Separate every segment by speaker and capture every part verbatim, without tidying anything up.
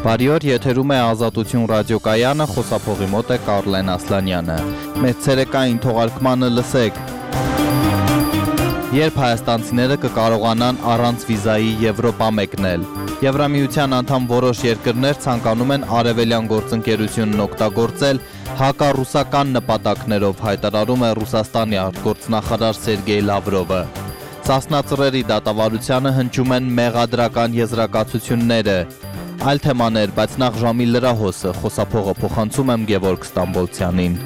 Speaker 1: Բարի օր, եթերում է Ազատություն ռադիոկայանը, խոսափողի մոտ է Կարլեն Ասլանյանը։ Մեր ցերեկային թողարկմանը լսեք. Երբ հայաստանցիները կկարողանան առանց վիզայի Եվրոպա մեկնել։ Եվրամիության անդամ որոշ երկրներ ցանկանում են արևելյան գործընկերությունն օգտագործել հակառուսական նպատակներով, հայտարարում է Ռուսաստանի արտգործնախարար Սերգեյ Լավրովը։ Սասնա ծռերի դատավարությանը հնչում են մեղադրական եզրակացությունները։ Այլ թեմաներ, բայց նախ ժամի լրահոսը, խոսափողը փոխանցում եմ Գևորգ Ստամբոլցյանին։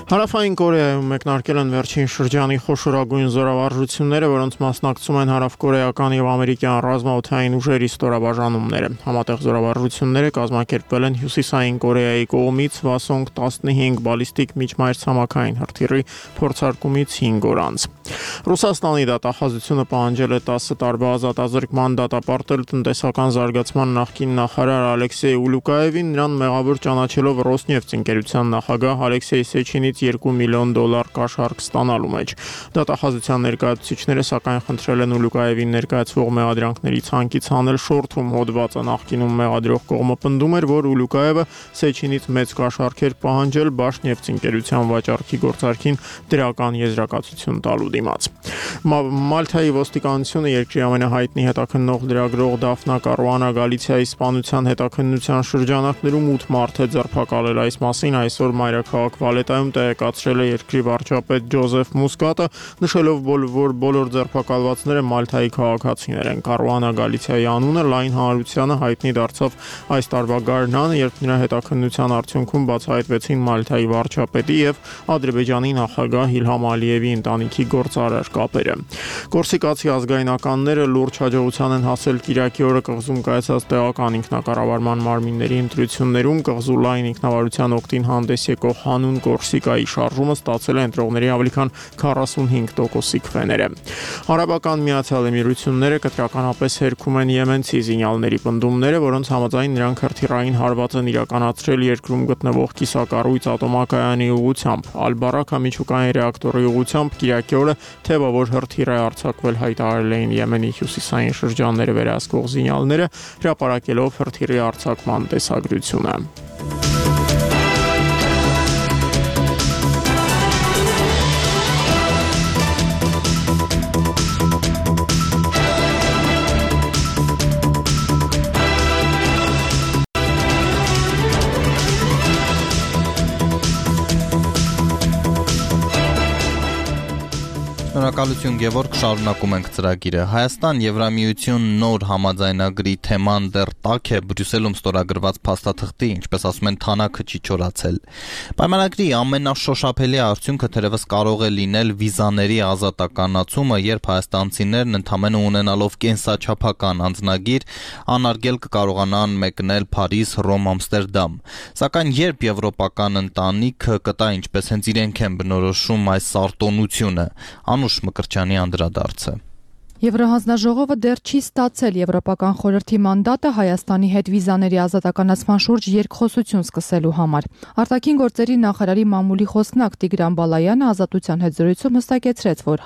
Speaker 2: Հարավային Կորեայում մեկնարկել են վերջին շրջանի խոշորագույն զորավարժությունները, որոնց մասնակցում են հարավկորեական եւ ամերիկյան ռազմաօդային ուժերի ստորաբաժանումները։ Համատեղ զորավարժությունները կազմակերպվել են Հյուսիսային Կորեայի կողմից Հվասոնգ տասնհինգ բալիստիկ միջմայրցամաքային հրթիռի փորձարկումից հինգ օր անց։ Ռուսաստանի դատախազությունը պահանջել է տասը տարվա ազատազրկման դատապարտել տնտեսական զարգացման նախկին նախարար Ալեքսեյ Ուլուկաևին, նրան մեղավոր ճանաչելով Ռոսնեֆթ ընկերության նախագահ Ալեքսեյ Սեչինից երկու միլիոն դոլար կաշառք ստանալու մեջ։ Դատախազության ներկայացուցիչները սակայն խնդրել են Ուլուկաևին ներկայացվող մեղադրանքների ցանկից հանել շորթում հոդվածը։ Նախկինում մեղադրող կողմը պնդում էր, որ Ուլուկաևը Սեչինից մեծ կաշառք էր պահանջել Բաշնեֆթ ընկերության վաճառքի գործարքին դրական եզրակացություն տալու դիմաց։ Մալթայի ոստիկանությունը երկրի ամենահայտնի հետաքննող լրագրող Դաֆնա Կարուանա Գալիցիայի սպանության հետաքննության շրջանակներում ութ մարդ է ձերբակալել։ Այս մասին այսօր մայրաքաղաք Վալետայում տեղեկացրել է երկրի վարչապետ Ջոզեֆ Մուսկատը, նշելով, որ բոլոր ձերբակալվածները Մալթայի քաղաքացիներ են։ Կարուանա Գալիցիայի անունը լայն հանրությանը հայտնի դարձավ այս տարվա գարնանը, երբ նրա հետաքննության արդյունքում բացահայտվեցին Մալթայի վարչապետի եւ Ադրբեջանի նախագահ Իլհամ Ալիևի ընտանիքի գործարար կապերը։ Կորսիկացի ազգայնականները լուրջ հաջողության են հասել Կիրակի օրը կղզում կայացած տեղական ինքնակառավարման մարմինների ընտրություններում։ Կղզու լայն ինքնավարության օգտին հանդես եկող հանուն Կորսիկայի շարժումը ստացել է ընտրողների ավելի քան քառասունհինգ տոկոսի քվեները։ Արաբական Միացյալ Էմիրությունները կտրականապես հերքում են եմենցի զինյալների պնդումները, որոնց համաձայն նրանք հրթիռային հարված են իրականացրել երկրում գտնվող կիսակառույց ատոմակայանի ուղղությամբ։ Ալ-Բարաքա միջուկային ռեակտորի ուղղությամբ Կիրակի օրը թեւավոր հրթիռ է արձակվել, հայտարարել էին Եմենի հյուսիսային շրջանները վերահսկող զինյալները, հրապարակելով հրթիռի արձակման տեսագրությունը։
Speaker 1: Շնորհակալություն Գևորգ, շարունակում ենք ծրագիրը։ Հայաստան Եվրամիություն նոր համաձայնագրի թեման դեռ տաք է, Բրյուսելում ստորագրված փաստաթղթի, ինչպես ասում են, թանակը չի չորացել։ Պայմանագրի ամենաշոշափելի արդյունքը թերևս կարող է լինել վիզաների ազատականացումը, երբ հայաստանցիներն ընդամենը ունենալով կենսաչափական անձնագիր անարգել կկարողանան մեկնել Փարիզ, Ռոմ, Ամստերդամ։ Սակայն երբ եվրոպական ընտանիքը կտա ինչպես հենց իրենք են բնորոշում այս արտոնությունը, Անուշ Մկրտչյանի անդրադարձը։
Speaker 3: Եվրահանձնաժողովը դեռ չի ստացել Եվրոպական խորհրդի մանդատը Հայաստանի հետ վիզաների ազատականացման շուրջ երկխոսություն սկսելու համար։ Արտաքին գործերի նախարարի մամուլի խոսնակ Տիգրան Բալայանը Ազատության հետ զրույցում հստակեցրեց, որ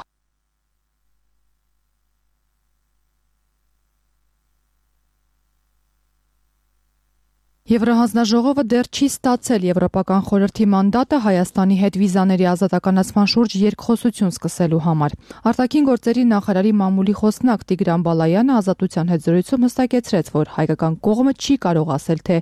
Speaker 3: Եվրահանձնաժողովը դեռ չի ստացել Եվրոպական խորհրդի մանդատը Հայաստանի հետ վիզաների ազատականացման շուրջ երկխոսություն սկսելու համար։ Արտաքին գործերի նախարարի մամուլի խոսնակ Տիգրան Բալայանը Ազատության հետ զրույցում հստակեցրեց, որ հայկական կողմը չի կարող ասել, թե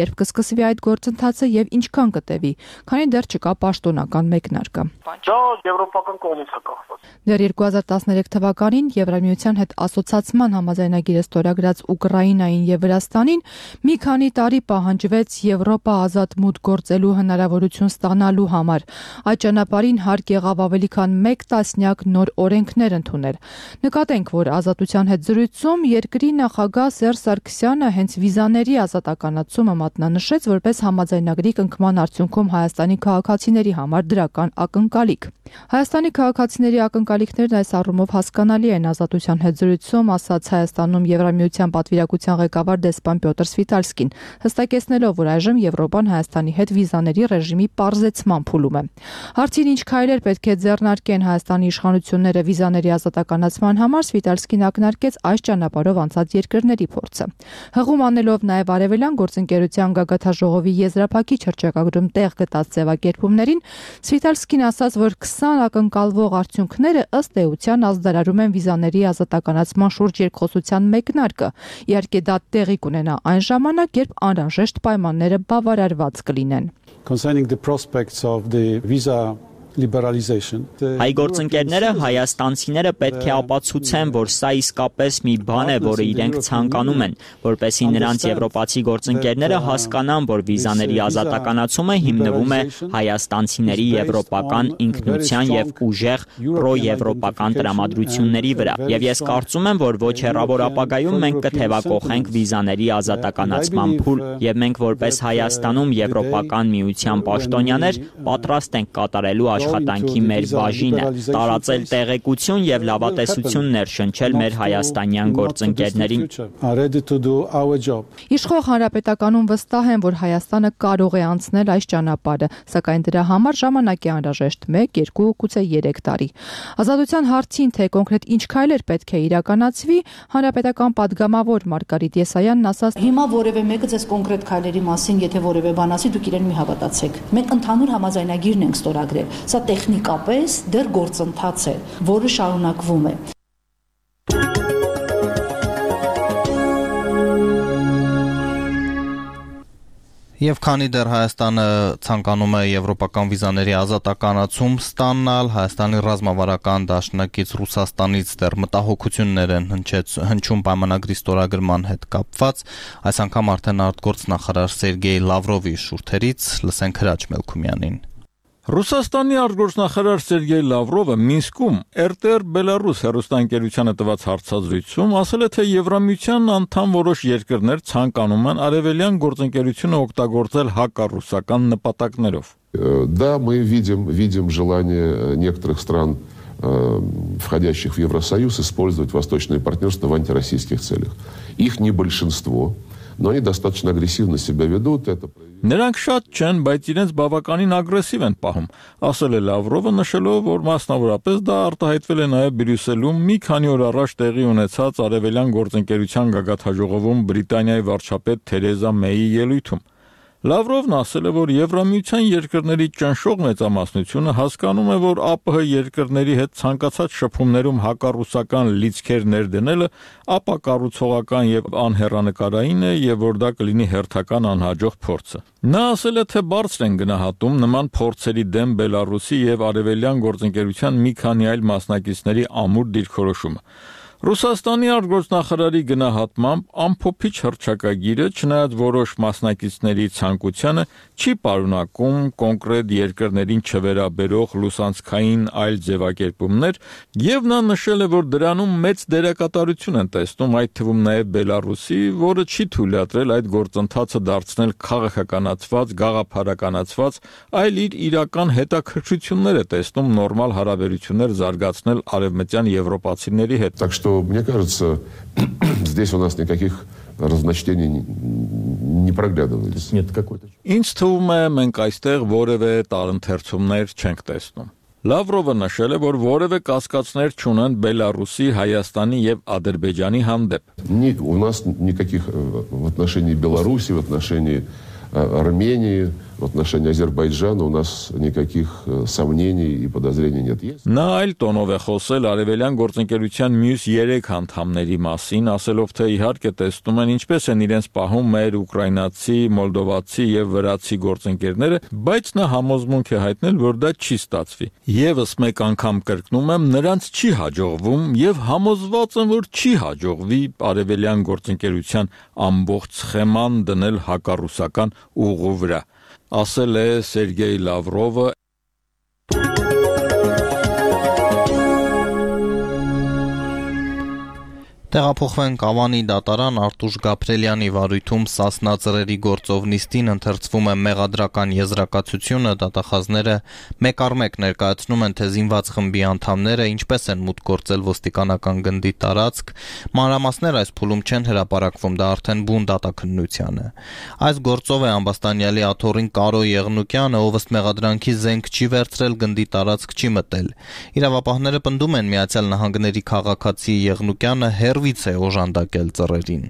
Speaker 3: երբ կսկսվի այդ գործընթացը եւ ինչքան կտևի, քանի դեռ չկա պաշտոնական մեկնարկը։
Speaker 4: Դա եվրոպական կողմից է կախված։
Speaker 3: Դեռ երկու հազար տասներեք թվականին Եվրամիության հետ ասոցացման համաձայնագիրը ստորագրած Ուկրաինային եւ Վրաստանին մի քանի տարի պահանջվեց Եվրոպա ազատ մուտք գործելու հնարավորություն ստանալու համար։ Այդ ճանապարհին հարկ եղավ ավելի քան մեկ տասնյակ նոր օրենքներ ընդունել։ Նկատենք, որ Ազատության հետ զրույցում երկրի նախագահ Սերժ Սարգսյանը հենց վիզաների ազատականացումը մատնանշեց որպես համաձայնագրի կնքման արդյունքում Հայաստանի քաղաքացիների համար դրական ակնկալիք։ Հայաստանի քաղաքացիների ակնկալիքներն այս առումով հասկանալի են։ Ազատության հետ զրույցում ասաց Հայաստանում Եվրամիության պատվիրակության ղեկավար դեսպան Պյոտր Սվիտալսկին։ հստակեցնելով, որ այժմ Եվրոպան Հայաստանի հետ վիզաների ռեժիմի պարզեցման փուլում է։ Հարցին ինչ քայլեր պետք է ձեռնարկեն Հայաստանի իշխանությունները վիզաների ազատականացման համար, Սվիտալսկին ակնարկեց այս ճանապարհով անցած երկրների փորձը։ Հղում անելով նաև Արևելյան գործընկերության գագաթաժողովի եզրափակիչ հռչակագրում տեղ գտած ձևակերպումներին, Սվիտալսկին ասաց, որ քսան ակնկալվող արդյունքները ըստ էության ազդարարում են վիզաների ազատականացման շուրջ երկխոսության մեկնարկը, իհարկե դա տեղի կունենա այն ժամանակ, երբ անհրաժեշտ պայմանները բավարարված կլինեն։
Speaker 5: Concerning the prospects of the visa liberalization.
Speaker 6: Հայ գործընկերները հայաստանցիները պետք է ապացուցեն, որ սա իսկապես մի բան է, որը իրենք ցանկանում են, որպեսզի նրանց եվրոպացի գործընկերները հասկանան, որ վիզաների ազատականացումը հիմնվում է հայաստանցիների եվրոպական ինքնության եւ ուժեղ պրոեվրոպական տրամադրությունների վրա։ Եվ ես կարծում եմ, որ ոչ հեռավոր ապագայում մենք կթևակողենք վիզաների ազատականացման փուլ, եւ մենք որպես Հայաստանում Եվրոպական միության պաշտոնյաներ պատրաստ ենք կատարելու աշխատանքի մեր բաժինը, տարածել տեղեկություն եւ լավատեսություն ներշնչել մեր հայաստանյան գործընկերներին։
Speaker 3: Իշխող հանրապետականում վստահ են, որ Հայաստանը կարող է անցնել այս ճանապարհը, սակայն դրա համար ժամանակ է անհրաժեշտ մեկ, երկու, գուցե երեք տարի։ Ազատության հարցին, թե կոնկրետ ինչ քայլեր պետք է իրականացվի, հանրապետական падգամավոր Մարգարիտ Եսայանն ասաց.
Speaker 7: Հիմա որևէ մեկը ձեզ կոնկրետ քայլերի մասին, եթե որևէ բան ասի, դուք իրեն մի հավատացեք։ Մենք ընդհանուր համաձայնագիրն ենք ստորագրել։ Սա տեխնիկապես դեռ գործընթաց է, որը շարունակվում է։
Speaker 1: Եվ քանի դեռ Հայաստանը ցանկանում է եվրոպական վիզաների ազատականացում ստանալ, Հայաստանի ռազմավարական դաշնակից Ռուսաստանից դեռ մտահոգություններ են հնչում պայմանագրի ստորագրման հետ կապված, այս անգամ արդեն արտգործնախարար Սերգեյ Լավրովի շուրթերից լսենք Հրաչ Մելքումյանին։
Speaker 8: Ռուսաստանի արտգործնախարար Սերգեյ Լավրովը Մինսկում эр тэ эр Բելարուս հեռուստաընկերությանը տված հարցազրույցում ասել է, թե Եվրամիության անդամ որոշ երկրներ ցանկանում են արևելյան գործընկերությունը օգտագործել հակառուսական նպատակներով։
Speaker 9: Да, мы видим, видим желание некоторых стран, входящих в Евросоюз, использовать восточное партнерство в антироссийских целях. Их не большинство, но они достаточно агрессивно себя ведут. Это...
Speaker 8: Նրանք շատ չեն, բայց իրենց բավականին ագրեսիվ են պահում, ասել է Լավրովը, նշելով, որ մասնավորապես դա արտահայտվել է նաև Բրյուսելում մի քանի օր առաջ տեղի ունեցած արևելյան գործընկերության գագաթաժողովում Բրիտանիայի վարչապետ Թերեզա Մեյի ելույթում։ Լավրովն ասել է, որ Եվրամիության երկրների ճնշող մեծամասնությունը հասկանում է, որ ԱՊՀ երկրների հետ ցանկացած շփումներում հակառուսական լիցքեր ներդնելը ապակառուցողական եւ անհեռանկարային է եւ որ դա կլինի հերթական անհաջող փորձը։ Նա ասել է, թե բարձր են գնահատում նման փորձերի դեմ Բելարուսի եւ արևելյան գործընկերության մի քանի այլ մասնակիցների ամուր դիրքորոշումը։ Ռուսաստանի արտգործնախարարի գնահատմամբ ամփոփիչ հռչակագիրը, չնայած որոշ մասնակիցների ցանկությանը, չի պարունակում կոնկրետ երկրներին չվերաբերող լուսանցքային այլ ձևակերպումներ, եւ նա նշել է, որ դրանում մեծ դերակատարություն են տեսնում, այդ թվում նաեւ Բելարուսի, որը չի թույլատրել այդ գործընթացը дարձնել քաղաքականացված, գաղափարականացված, այլ իր իրական հետաքրքրությունները տեսնում նորմալ հարաբերություններ զարգացնել արևմտյան եվրոպացիների հետ։
Speaker 9: Так что, мне кажется, здесь у нас никаких разночтений не проглядывается. Нет какой-то.
Speaker 8: Ինչ թվում է, մենք այստեղ որևէ տարընթերցումներ չենք տեսնում։ Լավրովը նշել է, որ որևէ կասկածներ չունեն Բելարուսի, Հայաստանի եւ Ադրբեջանի հանդեպ։
Speaker 9: У нас никаких в отношении Беларуси, в отношении Армении, в отношении Азербайджана у нас никаких сомнений и подозрений нет.
Speaker 8: Նա այլ տոնով է խոսել արևելյան գործընկերության մյուս երեք անդամների մասին, ասելով, թե իհարկե տեսնում են ինչպես են իրենց պահում մեր ուկրաինացի, մոլդովացի եւ վրացի գործընկերները, բայց նա համոզմունք է հայտնել, որ դա չի ստացվի։ Եվս մեկ անգամ կրկնում եմ, նրանց չի հաջողվում եւ համոզված եմ, որ չի հաջողվի արևելյան գործընկերության ամբողջ սխեման դնել հակառուսական ուղու վրա, ասել է Սերգեյ Լավրովը։
Speaker 1: Տեղափոխվենք Ավանի դատարան Արտուշ Գաբրելյանի վարույթում Սասնա ծռերի գործով նիստին ընթերցվում է մեղադրական եզրակացությունը, դատախազները մեկ առ մեկ ներկայացնում են, թե զինված խմբի անդամները ինչպես են մուտք գործել ոստիկանական գնդի տարածք, մանրամասներ այս փուլում չեն հրապարակվում, դա արդեն բուն դատաքննության է։ Այս գործով է ամբաստանյալի աթոռին Կարո Եղնուկյանը, ով ըստ մեղադրանքի զենք չի վերցրել, գնդի տարածք չի մտել։ Իրավապահները պնդում են Միացյալ Նահանգների քաղաքացի Եղնուկյանը հերվից է օժանդակել ծռերին։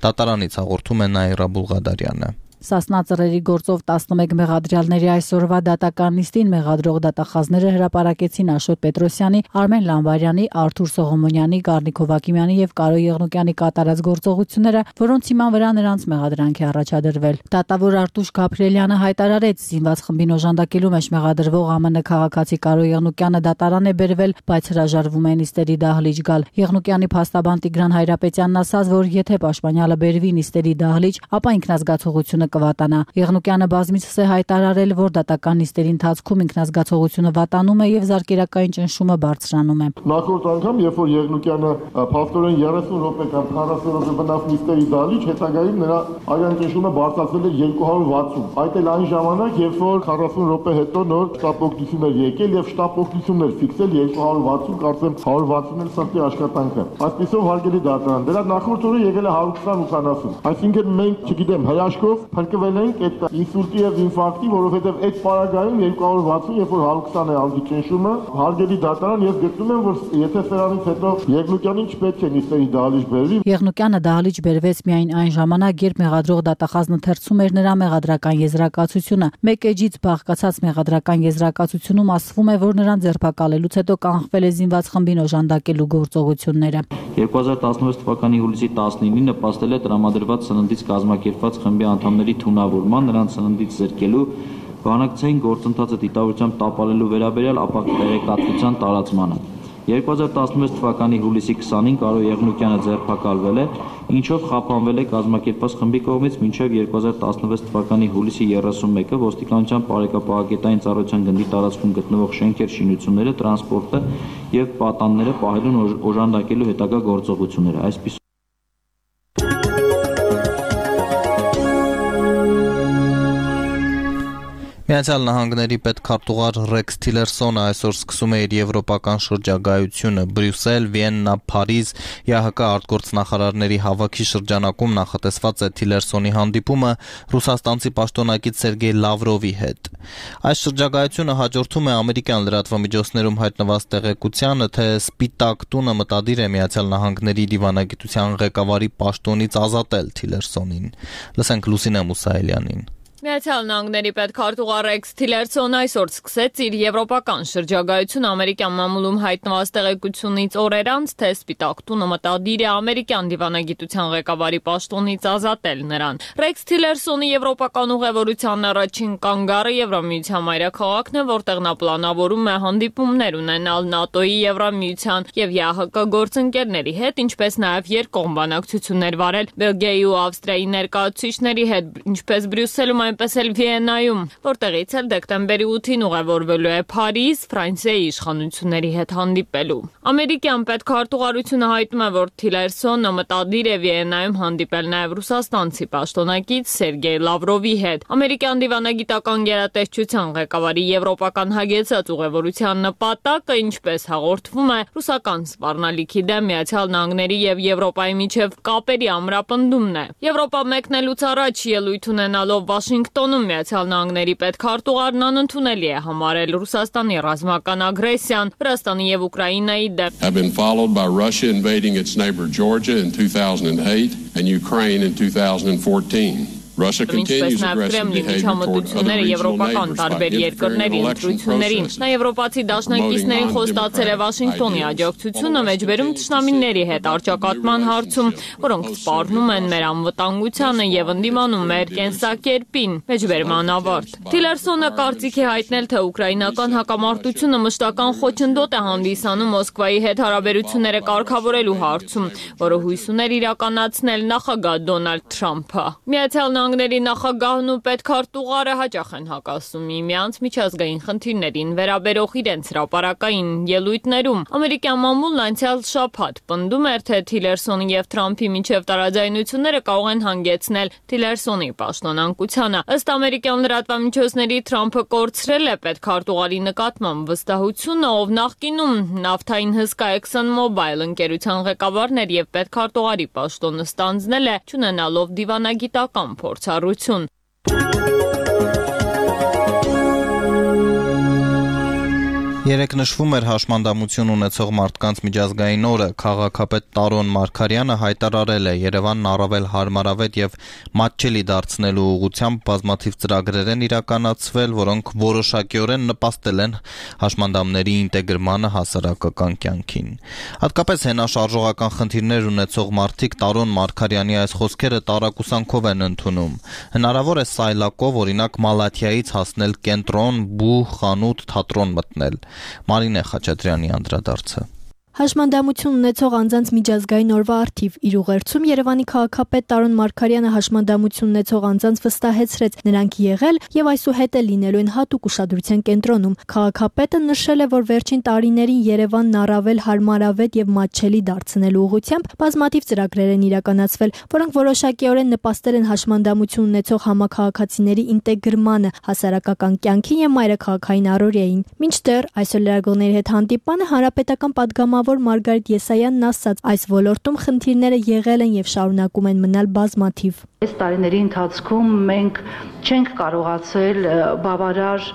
Speaker 1: Դատարանից հաղորդում է Նաիրա Բուլղադարյանը։
Speaker 7: Սասնա ծռերի գործով տասնմեկ մեղադրյալների այսօրվա դատական նիստին մեղադրող դատախազները հրապարակեցին Աշոտ Պետրոսյանի, Արմեն Լամբարյանի, Արթուր Սողոմոնյանի, Գառնիկ Հովակիմյանի եւ Կարո Եղնուկյանի կատարած գործողությունները, որոնց հիման վրա նրանց մեղադրանք է առաջադրվել։ Դատավոր Արտուշ Գաբրելյանը հայտարարեց, զինված խմբին օժանդակելու մեջ մեղադրվող ԱՄՆ քաղաքացի Կարո Եղնուկյանը դատարան է բերվել, բայց հրաժարվում է նիստերի դահլիճ գալ։ Եղնուկյանի փաստաբան Տիգրան Հայրապետյանն ասաց, որ եթե պաշտպանյալը բերվի նիստերի դահլիճ, ապա ինքնազգացողությունը կվատանա։ Եղնուկյանը բազմիցս է հայտարարել, որ դատական նիստերի ընթացքում ինքնազգացողությունը վատանում է եւ զարկերակային ճնշումը բարձրանում է։
Speaker 10: Նախորդ անգամ, երբ որ Եղնուկյանը փաստորեն երեսուն րոպե կամ քառասուն րոպե բնավ նիստերի դահլիճ, հետագայում նրա արյան ճնշումը բարձրացել էր երկու հարյուր վաթսուն։ Այդ էլ այն ժամանակ, երբ որ քառասուն րոպե հետո նոր շտապօգնություն էր եկել եւ շտապօգնությունն էր ֆիքսել երկու հարյուր վաթսուն, կարծեմ հարյուր վաթսուն էլ սրտի աշխատանք է։ Այսպիսով հարգելի դատարան, դրա նախորդ օրը եկել է հարյուր քսան ութանասուն։ Այսինքն մենք, չգիտեմ, հրաշքով փրկվել ենք այդ ինսուլտի եւ ինֆարկտի, որովհետեւ այդ պարագայում երկու հարյուր վաթսուն, երբ որ հարյուր քսան է ալգի ճնշումը, հարգելի դատարան, ես գտնում եմ, որ եթե սրանից հետո Եղնուկյանին չպետք է նիստերի դահլիճ բերվի։
Speaker 7: Եղնուկյանը դահլիճ բերվեց միայն այն ժամանակ, երբ մեղադրող դատախազն ընթերցում էր նրա մեղադրական եզրակացությունը։ Մեկ էջից բաղկացած մեղադրական եզրակացությունում ասվում է, որ նրան ձերբակալելուց հետո կանխվել է զինված խմբին օժանդակելու գործողությունները։
Speaker 11: երկու հազար տասնվեց թվականի հուլիսի տասնինին նպաստել է տրամադրված սննդից կազմակերպված խմբի անդամների թունավորման, նրանց սննդից զրկելու, բանակցային գործընթացը դիտավորությամբ տապալելու վերաբերյալ ապա տեղեկատվության տարածմանը։ երկու հազար տասնվեց թվականի հուլիսի քսանին Կարո Եղնուկյանը ձերբակալվել է, ինչով խափանվել է կազմակերպված խմբի կողմից մինչև երկու հազար տասնվեց թվականի հուլիսի երեսունմեկը ոստիկանության բարեկապահագետային ծառայության գնդի տարածքում գտնվող շենքեր, շինությունները, տրանսպորտը եւ պատանները պահելուն օժանդակելու հետագա գործողությունները։ Այսպես
Speaker 1: Միացյալ Նահանգների պետքարտուղար Ռեքս Թիլերսոնը այսօր սկսում է իր եվրոպական շրջագայությունը։ Բրյուսել, Վիեննա, Փարիզ, ԵԱՀԿ արտգործնախարարների հավաքի շրջանակում նախատեսված է Թիլերսոնի հանդիպումը ռուսաստանցի պաշտոնակից Սերգեյ Լավրովի հետ։ Այս շրջագայությունը հաջորդում է ամերիկյան լրատվամիջոցներում հայտնված տեղեկությանը, թե Սպիտակ տունը մտադիր է Միացյալ Նահանգների դիվանագիտության ղեկավարի պաշտոնից ազատել Թիլերսոնին։ Լսենք Լուսինե Մուսայելյանին։
Speaker 12: Միացյալ Նահանգների պետքարտուղար Ռեքս Թիլերսոնը այսօր սկսեց իր եվրոպական շրջագայությունը ամերիկյան մամուլում հայտնված տեղեկությունից օրեր անց, թե Սպիտակ տունը մտադիր է ամերիկյան դիվանագիտության ղեկավարի պաշտոնից ազատել նրան։ Ռեքս Թիլերսոնի եվրոպական ուղևորության առաջին կանգառը Եվրամիության մայրաքաղաքն է, որտեղ նա պլանավորում է հանդիպումներ ունենալ ՆԱՏՕ-ի, Եվրամիության եւ ԵԱՀԿ գործընկերների հետ, ինչպես նաեւ երկկողմ բանակցություններ վարել Բելգիայի ու Ավստրիայի ներկայացուցիչների հետ, ինչպես Բրյուսելում այնպես էլ Վիեննայում, որտեղից էլ դեկտեմբերի ութին ուղևորվելու է Փարիզ, Ֆրանսիայի իշխանությունների հետ հանդիպելու։ Ամերիկյան պետքարտուղարությունը հայտնում է, որ Թիլերսոնը մտադիր է Վիեննայում հանդիպել նաև ռուսաստանցի պաշտոնակից Սերգեյ Լավրովի հետ։ Ամերիկյան դիվանագիտական գերատեսչության ղեկավարի եվրոպական հագեցած ուղևորության նպատակը, ինչպես հաղորդվում է, ռուսական սպառնալիքի դեմ Միացյալ Նահանգների եւ Եվրոպայի միջև կապերի ամրապնդումն է։ Եվրոպա մեկնելուց առաջ ելույթ ունենալով Վաշինգտոնում Միացյալ Նահանգների պետքարտուղարն անընդունելի է համարել Ռուսաստանի ռազմական ագրեսիան Վրաստանի եւ Ուկրաինայի դեմ։
Speaker 13: Have been followed by Russia invading its neighbor Georgia in two thousand eight and Ukraine in two thousand fourteen. Russia continues aggressive behavior toward other regional neighbors by interfering in elections.
Speaker 12: Նա եվրոպացի դաշնակիցներին խոստացել է Վաշինգտոնի աջակցությունը մեջբերում թշնամիների հետ արճակատման հարցում, որոնք սպառնում են մեր անվտանգությանը եւ ընդդիմանում մեր կենսակերպին։ Մեջբերման ավարտ։ Թիլերսոնը կարծիք է հայտնել, թե ուկրաինական հակամարտությունը մշտական խոչընդոտ է հանդիսանում Մոսկվայի հետ հարաբերությունները կարգավորելու հարցում, որը հույս ուներ իրականացնել նախագահ Դոնալդ Թրամփը։ Միացյալ Նահանգների նախագահն ու պետքարտուղարը հաճախ են հակասում միմյանց միջազգային խնդիրներին վերաբերող իրենց հրապարակային ելույթներում։ Ամերիկյան մամուլն անցյալ շաբաթ պնդում էր, թե Թիլերսոնի եւ Թրամփի միջև տարաձայնությունները կարող են հանգեցնել Թիլերսոնի պաշտոնանկությանը։ Ըստ ամերիկյան լրատվամիջոցների Թրամփը կորցրել է պետքարտուղարի նկատմամբ վստահությունը, ով նախկինում նավթային հսկա ExxonMobil ընկերության ղեկավարն էր եւ պետքարտուղարի պաշտոնը ստանձնել է, չունենալով դիվանագիտական փորձառություն։
Speaker 1: Երեկ նշվում էր հաշմանդամություն ունեցող մարդկանց միջազգային օրը, քաղաքապետ Տարոն Մարգարյանը հայտարարել է Երևանն առավել հարմարավետ եւ մատչելի դարձնելու ուղղությամբ բազմաթիվ ծրագրեր են իրականացվել, որոնք որոշակիորեն նպաստել են հաշմանդամների ինտեգրմանը հասարակական կյանքին։ Հատկապես հենաշարժողական խնդիրներ ունեցող մարդիկ Տարոն Մարգարյանի այս խոսքերը տարակուսանքով են ընդունում։ Հնարավոր է սայլակով, օրինակ Մալաթիայից հասնել կենտրոն, բու, խանութ, թատրոն մտնել։ Մարինե Խաչատրյանի անդրադարձը։
Speaker 14: Հաշմանդամություն ունեցող անձանց միջազգային օրվա առթիվ իր ուղերձում Երևանի քաղաքապետ Տարոն Մարգարյանը հաշմանդամություն ունեցող անձանց վստահեցրեց, նրանք եղել եւ այսուհետ էլ լինելու են հատուկ ուշադրության կենտրոնում։ Քաղաքապետը նշել է, որ վերջին տարիներին Երևանն առավել հարմարավետ եւ մատչելի դարձնելու ուղղությամբ բազմաթիվ ծրագրեր են իրականացվել, որոնք որոշակիորեն նպաստել են հաշմանդամություն ունեցող համաքաղաքացիների ինտեգրմանը հասարակական կյանքին եւ մայրաքաղաքային առօրյային։ Մինչդեռ այսօր լրագրողների հետ հանդիպանը հանրապետական պատգամավոր Մարգարիտ Եսայանն ասաց, այս ոլորտում խնդիրները եղել են եւ շարունակում են մնալ բազմաթիվ։
Speaker 15: Այս տարիների ընթացքում մենք չենք կարողացել բավարար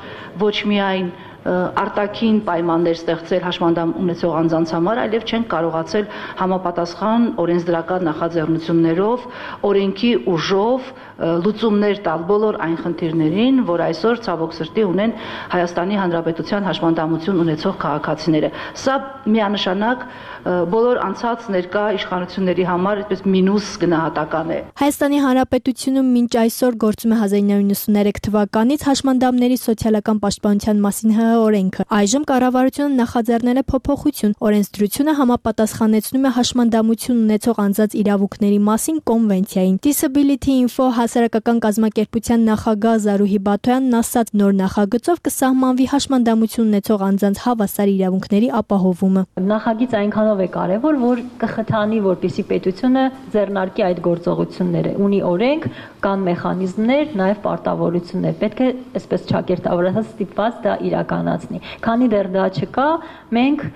Speaker 15: ոչ միայն արտաքին պայմաններ ստեղծել հաշմանդամ ունեցող անձանց համար, այլև չենք կարողացել համապատասխան օրենսդրական նախաձեռնություններով, օրենքի ուժով լուծումներ տալ բոլոր այն խնդիրներին, որ այսօր ցավոք սրտի ունեն Հայաստանի Հանրապետության հաշմանդամություն ունեցող քաղաքացիները։ Սա միանշանակ բոլոր անցած ներկա իշխանությունների համար այդպես մինուս գնահատական է։
Speaker 14: Հայաստանի Հանրապետությունում մինչ այսօր գործում է հազար իննսուն նվաթ թվականից հաշմանդամների սոցիալական պաշտպանության մասին ՀՀ օրենքը։ Այժմ կառավարությունը նախաձեռնել է փոփոխություն։ Օրենսդրությունը համապատասխանեցնում է հաշմանդամություն ունեցող անձանց իրավունքների մասին կոնվենցիային։ Disability Info հասարակական կազմակերպության նախագահ Զարուհի Բաթոյանն ասաց, նոր նախագծով կսահմանվի հաշմանդամություն ունեցող անձանց հավասար իրավունքների ապահովումը։
Speaker 16: Նախագիծ այնքանով է կարևոր, որ կխթանի, որպեսզի պետությունը ձեռնարկի այդ գործողությունները։ Ունի օրենք, կան մեխանիզմներ, նաև պարտավորություններ։ Պետք է այսպես ճակերտավորած ստիպված դա իրականացնի։ Քանի դեռ դա չկա, մենք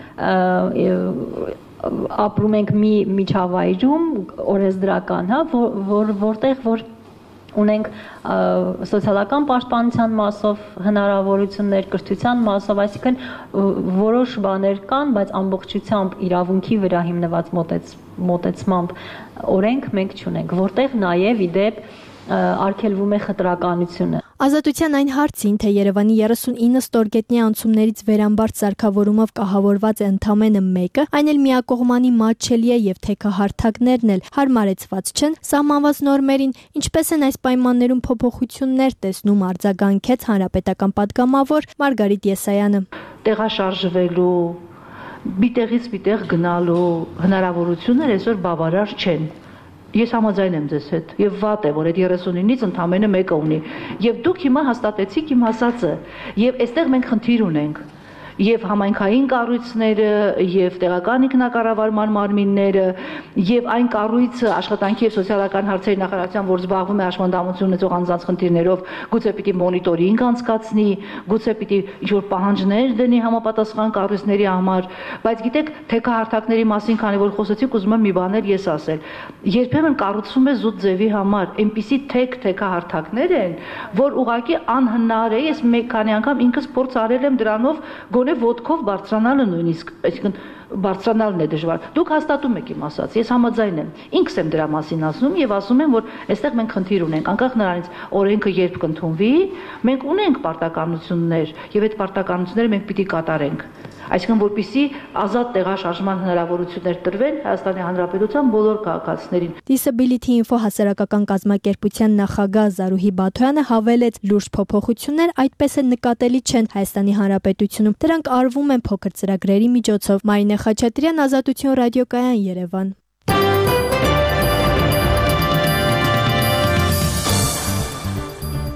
Speaker 16: ապրում ենք մի միջավայրում օրենսդրական, հա, որ որտեղ որ ունենք սոցիալական պաշտպանության մասով հնարավորություններ, կրթության մասով, այսինքն որոշ բաներ կան, բայց ամբողջությամբ իրավունքի վրա հիմնված մոտեցմամբ օրենք մենք չունենք, որտեղ նաև իդեպ արգելվում է խտրականությունը։
Speaker 14: Ազատության այն հարցին, թե Երևանի երեսունինը ստորգետնյա անցումներից վերամբարձ սարքավորումով կահավորված է ընդամենը մեկը, այն էլ միակողմանի մատչելի է եւ թեքահարթակներն էլ հարմարեցված չեն սահմանված նորմերին, ինչպես են այս պայմաններում փոփոխություններ տեսնում արձագանքեց հանրապետական պատգամավոր Մարգարիտ Եսայանը։
Speaker 15: Տեղաշարժվելու, բիտեղից բիտեղ գնալու հնարավորությունները այսօր բավարար չեն։ Ես համաձայն եմ ձեզ հետ եւ վատ է, որ այդ երեսունինից ընդամենը մեկը ունի եւ դուք հիմա հաստատեցիք իմ ասածը եւ այստեղ մենք խնդիր ունենք եւ համայնքային կառույցները եւ տեղական ինքնակառավարման մարմինները եւ այն կառույցը աշխատանքի եւ սոցիալական հարցերի նախարարության, որ զբաղվում է հաշմանդամություն ունեցող անձանց խնդիրներով, գուցե պիտի մոնիտորինգ անցկացնի, գուցե պիտի ինչ-որ պահանջներ դնի համապատասխան կառույցների համար, բայց գիտեք, թեքահարթակների մասին, քանի որ խոսեցիք, ուզում եմ մի բաներ ես ասել։ Երբեմն կառուցվում է զուտ ձևի համար, այնպիսի թեք թեքահարթակներ են, որ ուղղակի անհնար է, ես մեկ քանի անգամ ինքս փորձ արել եմ դրանով գոնե ոտքով բարձրանալը նույնիսկ, այսինքն բարձրանալն է դժվար։ Դուք հաստատում եք իմ ասած, ես համաձայն եմ։ Ինքս եմ դրա մասին ասում եւ ասում եմ, որ այստեղ մենք խնդիր ունենք, անկախ նրանից օրենքը երբ կընդունվի, մենք ունենք պարտականություններ եւ այդ պարտականությունները մենք պիտի կատարենք։ Այսինքն որպեսզի ազատ տեղաշարժման հնարավորություններ տրվեն Հայաստանի Հանրապետության բոլոր քաղաքացիներին։
Speaker 14: Disability Info հասարակական կազմակերպության նախագահ Զարուհի Բաթոյանը հավելեց, լուրջ փոփոխություններ այդպես էլ նկատելի չեն Հայաստանի Հանրապետությունում։ Դրանք արվում են փոքր ծրագրերի միջոցով։ Մարինե Խաչատրյան, Ազատություն ռադիոկայան, Երևան։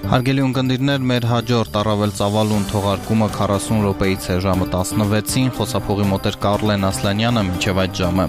Speaker 1: Հարգելի ունկնդիրներ, մեր հաջորդ առավել ծավալուն թողարկումը քառասուն րոպեից է ժամը տասնվեցին, խոսափողի մոտ էր Կարլեն Ասլանյանը, մինչև այդ ժամը։